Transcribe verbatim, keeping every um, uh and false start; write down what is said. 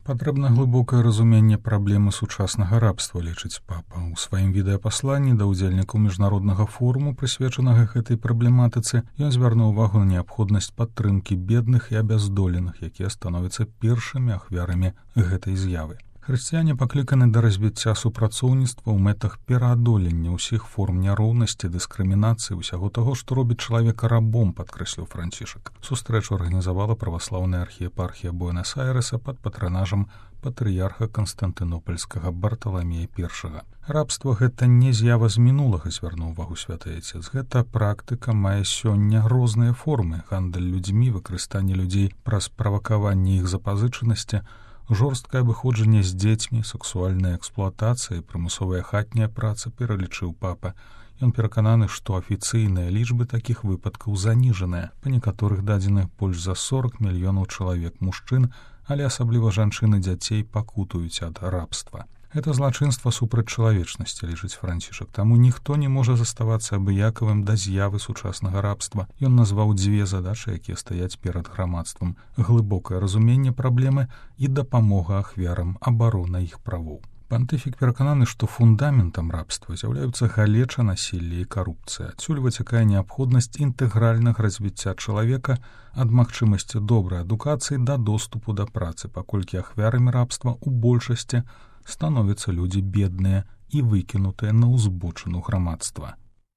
Патрэбна глыбокае разуменне праблемы сучаснага рабства, лічыць папа. У сваім відэапасланні да ўдзельнікаў міжнароднага форуму, прысвечанага гэтай праблематыцы, ён звярнуў увагу на неабходнасць падтрымкі бедных і абяздоленых, якія становяцца першымі ахвярамі гэтай з'явы. Хрысціяне пакліканы да развіцця супрацоўніцтва ў мэтах пераадолення ўсіх форм няроўнасці, дыскрымінацыі, усяго таго, што робіць чалавека рабом, падкрэсліў Францішак. Сустрэчу арганізавала праваслаўная архіепархія Буэнас-Айрэса пад патранажам патрыярха Канстантынопольскага Барталамея першага. Рабства гэта не з'ява з мінулага, звярнуў увагу святы айцец. Гэта практыка мае сёння розныя формы: гандаль людзьмі, выкарыстанне людзей праз правакаванне іх запазычанасці, жорсткае абыходжанне з дзецьмі, сексуальная эксплуатацыя, прымусовая хатняя праца, пералічыў папа. Ён перакананы, што афіцыйныя лічбы такіх выпадкаў заніжаныя. Па некаторых дадзеных больш за сорок мільёнаў чалавек мужчын, але асабліва жанчын і дзяцей пакутуюць ад рабства. Гэта злачынства супраць чалавечнасці, лічыць Францішак. Таму ніхто не можа заставацца абыякавым да з'явы сучаснага рабства. Ён назваў дзве задачы, якія стаяць перад грамадствам: глыбокае разуменне праблемы і дапамога ахвярам, абарона іх правоў. Пантыфік перакананы, што фундаментам рабства з'яўляюцца галеча, насілле і карупцыя. Адсюль выцякае неабходнасць інтэгральнага развіцця чалавека ад магчымасці добрай адукацыі да доступу да працы, паколькі ахвярамі рабства ў большасці становяцца людзі бедныя і выкінутыя на ўзбочыну грамадства.